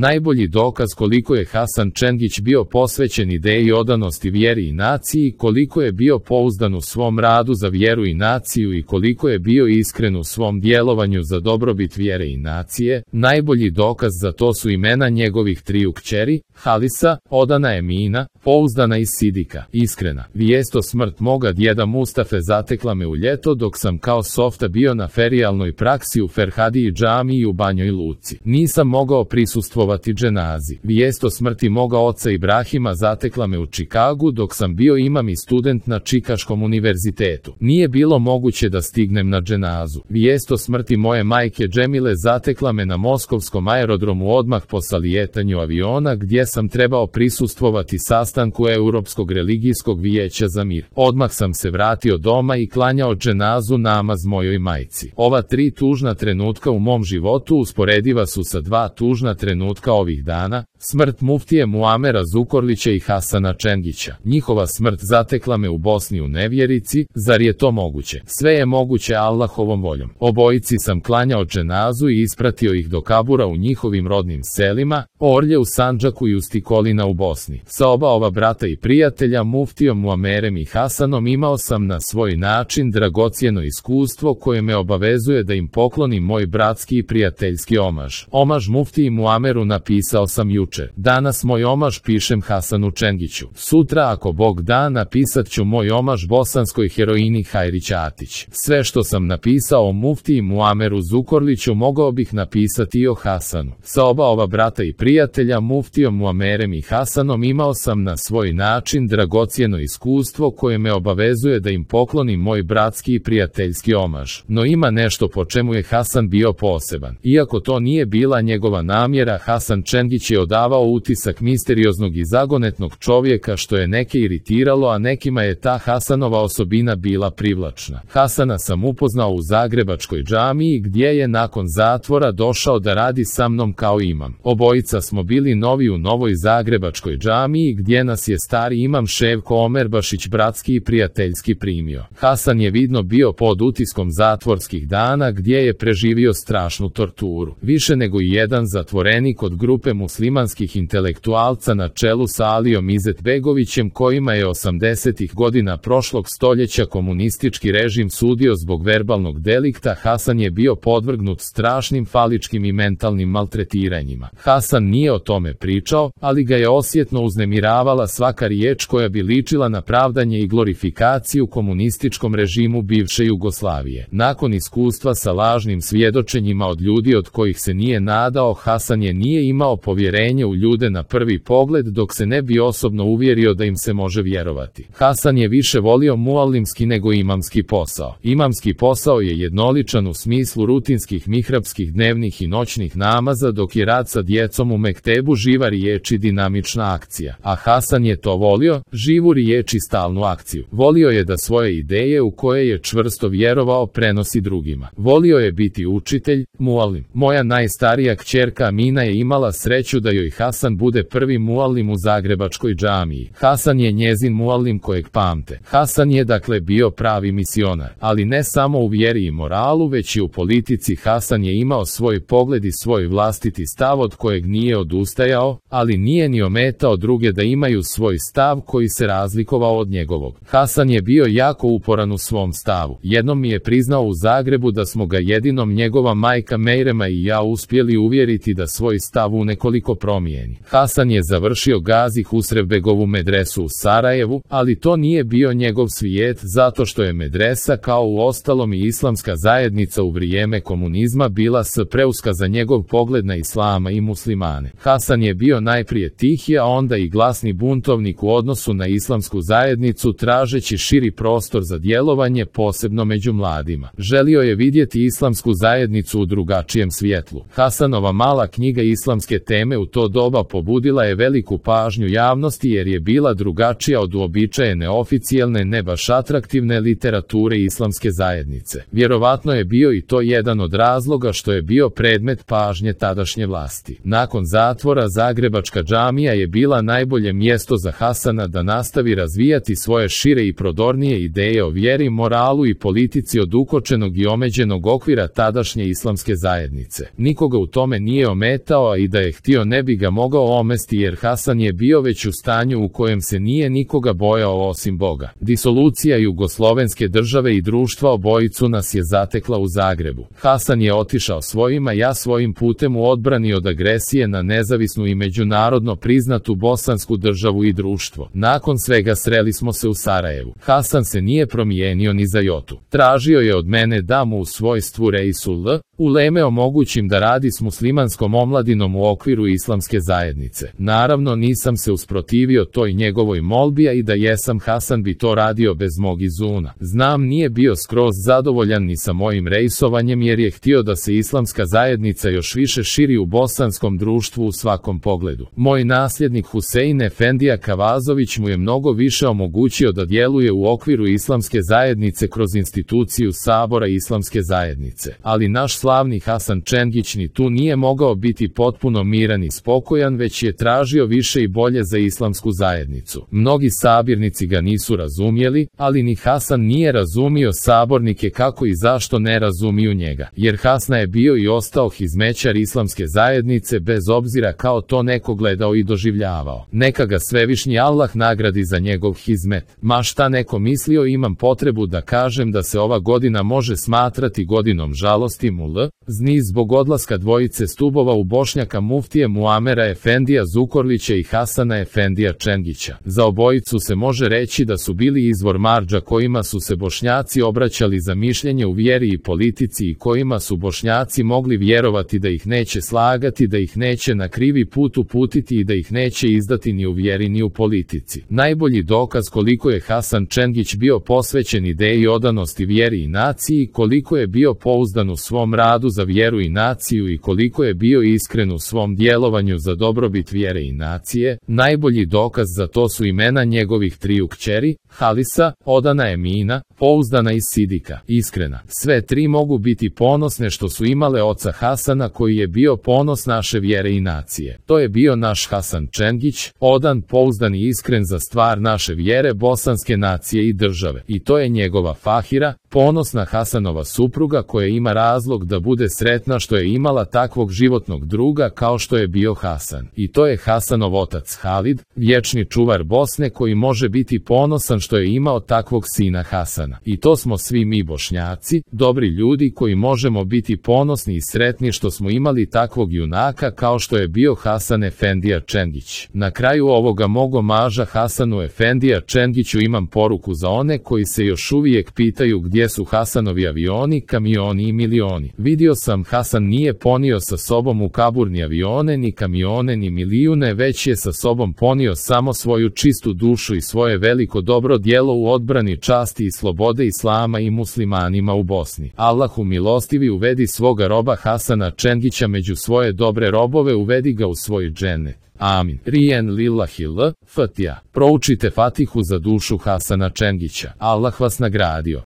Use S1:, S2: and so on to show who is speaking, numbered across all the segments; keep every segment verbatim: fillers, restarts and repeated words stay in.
S1: Najbolji dokaz koliko je Hasan Čengić bio posvećen ideji odanosti vjeri i naciji, koliko je bio pouzdan u svom radu za vjeru i naciju i koliko je bio iskren u svom djelovanju za dobrobit vjere i nacije, najbolji dokaz za to su imena njegovih triju kćeri, Halisa, odana Emina, pouzdana i Sidika, iskrena. Vijest o smrt moga djeda Mustafe zatekla me u ljeto dok sam kao softa bio na ferijalnoj praksi u Ferhadiji džamiji u Banjoj Luci. Nisam mogao prisustvovati dženazi. Vijest o smrti moga oca Ibrahima zatekla me u Čikagu dok sam bio imam i student na Čikaškom univerzitetu. Nije bilo moguće da stignem na dženazu. Vijest o smrti moje majke Džemile zatekla me na moskovskom aerodromu odmah po salijetanju aviona gdje sam trebao prisustvovati sastanku Europskog religijskog vijeća za mir. Odmah sam se vratio doma i klanjao dženazu namaz mojoj majci. Ova tri tužna trenutka u mom životu usporediva su sa dva tužna trenutka ovih dana, smrt muftije Muamera Zukorlića i Hasana Čengića. Njihova smrt zatekla me u Bosni u nevjerici, zar je to moguće? Sve je moguće Allahovom voljom. Obojici sam klanjao dženazu i ispratio ih do kabura u njihovim rodnim selima, Orlje u Sandžaku i Ustikolina u Bosni. Sa oba ova brata i prijatelja, muftijom Muamerem i Hasanom, imao sam na svoj način dragocjeno iskustvo koje me obavezuje da im poklonim moj bratski i prijateljski omaž. Omaž muftiji Muameru napisao sam jučer. Danas moj omaž pišem Hasanu Čengiću. Sutra, ako Bog da, napisat ću moj omaž bosanskoj heroini Hajri Ćatić. Sve što sam napisao o muftiji Muameru Zukorliću mogao bih napisati i o Hasanu. Sa oba ova brata i prijatelja, muftijom Muamerem i Hasanom, imao sam na svoj način dragocjeno iskustvo koje me obavezuje da im poklonim moj bratski i prijateljski omaž. No ima nešto po čemu je Hasan bio poseban. Iako to nije bila njegova namjera, Hasan Čengić je odavao utisak misterioznog i zagonetnog čovjeka što je neke iritiralo, a nekima je ta Hasanova osobina bila privlačna. Hasana sam upoznao u Zagrebačkoj džamiji gdje je nakon zatvora došao da radi sa mnom kao imam. Obojica smo bili novi u novoj Zagrebačkoj džamiji gdje nas je stari imam Ševko Omerbašić bratski i prijateljski primio. Hasan je vidno bio pod utiskom zatvorskih dana gdje je preživio strašnu torturu. Više nego i jedan zatvorenik od grupe muslimanskih intelektualca na čelu sa Alijom Izetbegovićem, kojima je osamdesetih godina prošlog stoljeća komunistički režim sudio zbog verbalnog delikta, Hasan je bio podvrgnut strašnim faličkim i mentalnim maltretiranjima. Hasan nije o tome pričao, ali ga je osjetno uznemiravala svaka riječ koja bi ličila na pravdanje i glorifikaciju komunističkom režimu bivše Jugoslavije. Nakon iskustva sa lažnim svjedočenjima od ljudi od kojih se nije nadao, Hasan je nije imao povjerenje u ljude na prvi pogled dok se ne bi osobno uvjerio da im se može vjerovati. Hasan je više volio muallimski nego imamski posao. Imamski posao je jednoličan u smislu rutinskih mihrabskih dnevnih i noćnih namaza, dok je rad sa djecom u mektebu živa riječ i dinamična akcija. A Hasan je to volio, živu riječ i stalnu akciju. Volio je da svoje ideje u koje je čvrsto vjerovao prenosi drugima. Volio je biti učitelj, muallim. Moja najstarija kćerka Amina je imala sreću da joj Hasan bude prvi muallim u Zagrebačkoj džamiji. Hasan je njezin muallim kojeg pamte. Hasan je dakle bio pravi misionar, ali ne samo u vjeri i moralu, već i u politici. Hasan je imao svoj pogled i svoj vlastiti stav od kojeg nije odustajao, ali nije ni ometao druge da imaju svoj stav koji se razlikovao od njegovog. Hasan je bio jako uporan u svom stavu. Jednom mi je priznao u Zagrebu da smo ga jedinom njegova majka Mejrema i ja uspjeli uvjeriti da svoj stav u nekoliko promijeni. Hasan je završio Gazi Husrevbegovu medresu u Sarajevu, ali to nije bio njegov svijet, zato što je medresa kao u ostalom i islamska zajednica u vrijeme komunizma bila s preuska za njegov pogled na islama i muslimane. Hasan je bio najprije tihi, a onda i glasni buntovnik u odnosu na islamsku zajednicu, tražeći širi prostor za djelovanje, posebno među mladima. Želio je vidjeti islamsku zajednicu u drugačijem svjetlu. Hasanova mala knjiga Islamske teme u to doba pobudila je veliku pažnju javnosti jer je bila drugačija od uobičajene oficijelne, ne baš atraktivne literature islamske zajednice. Vjerovatno je bio i to jedan od razloga što je bio predmet pažnje tadašnje vlasti. Nakon zatvora Zagrebačka džamija je bila najbolje mjesto za Hasana da nastavi razvijati svoje šire i prodornije ideje o vjeri, moralu i politici od ukočenog i omeđenog okvira tadašnje islamske zajednice. Nikoga u tome nije ometao, a i da je htio ne bi bi ga mogao omesti jer Hasan je bio već u stanju u kojem se nije nikoga bojao osim Boga. Disolucija Jugoslovenske države i društva obojicu nas je zatekla u Zagrebu. Hasan je otišao svojim, a ja svojim putem u odbrani od agresije na nezavisnu i međunarodno priznatu bosansku državu i društvo. Nakon svega sreli smo se u Sarajevu. Hasan se nije promijenio ni za jotu. Tražio je od mene da mu u svojstvu Reisul Uleme omogućim da radi s muslimanskom omladinom u okviru islamske zajednice. Naravno nisam se usprotivio toj njegovoj molbi, a i da jesam, Hasan bi to radio bez mog izuna. Znam, nije bio skroz zadovoljan ni sa mojim rejsovanjem jer je htio da se islamska zajednica još više širi u bosanskom društvu u svakom pogledu. Moj nasljednik Husein Efendija Kavazović mu je mnogo više omogućio da djeluje u okviru islamske zajednice kroz instituciju Sabora islamske zajednice. Ali naš slavni Hasan Čengić ni tu nije mogao biti potpuno miran i spokojan, već je tražio više i bolje za islamsku zajednicu. Mnogi sabirnici ga nisu razumjeli, ali ni Hasan nije razumio sabornike kako i zašto ne razumiju njega. Jer Hasna je bio i ostao hizmećar islamske zajednice bez obzira kao to neko gledao i doživljavao. Neka ga svevišnji Allah nagradi za njegov hizmet. Ma šta neko mislio, imam potrebu da kažem da se ova godina može smatrati godinom žalosti mul, zni zbog odlaska dvojice stubova u Bošnjaka muftije Muamera Efendija Zukorlića i Hasana Efendija Čengića. Za obojicu se može reći da su bili izvor marđa kojima su se Bošnjaci obraćali za mišljenje u vjeri i politici i kojima su Bošnjaci mogli vjerovati da ih neće slagati, da ih neće na krivi put uputiti i da ih neće izdati ni u vjeri ni u politici. Najbolji dokaz koliko je Hasan Čengić bio posvećen ideji odanosti vjeri i naciji, koliko je bio pouzdan u svom radu za vjeru i naciju i koliko je bio iskren u svom djelovanju za dobrobit vjere i nacije, najbolji dokaz za to su imena njegovih triju kćeri, Halisa, odana Emina, pouzdana i Sidika, iskrena. Sve tri mogu biti ponosne što su imale oca Hasana koji je bio ponos naše vjere i nacije. To je bio naš Hasan Čengić, odan, pouzdan i iskren za stvar naše vjere, bosanske nacije i države. I to je njegova Fahira, ponosna Hasanova supruga koja ima razlog da bude sretna što je imala takvog životnog druga kao što je bio Hasan. I to je Hasanov otac Halid, vječni čuvar Bosne koji može biti ponosan što je imao takvog sina Hasana. I to smo svi mi Bošnjaci, dobri ljudi koji možemo biti ponosni i sretni što smo imali takvog junaka kao što je bio Hasan Efendija Čengić. Na kraju ovoga mog omaža Hasanu Efendija Čengiću imam poruku za one koji se još uvijek pitaju gdje su Hasanovi avioni, kamioni i milioni. Vidio sam, Hasan nije ponio sa sobom u kabur ni avione, ni kamione, ni milijune, već je sa sobom ponio samo svoju čistu dušu i svoje veliko dobro djelo u odbrani časti i slobode islama i muslimanima u Bosni. Allahu milostivi, uvedi svoga roba Hasana Čengića među svoje dobre robove, uvedi ga u svoj džennet. Amin. Rijen lillahi l, Fatiha. Proučite Fatihu za dušu Hasana Čengića. Allah vas nagradio.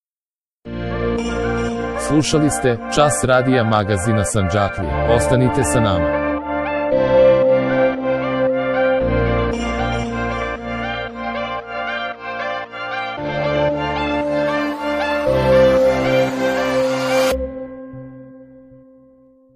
S1: Slušali ste Čas radija magazina Sandžaklija. Ostanite sa nama.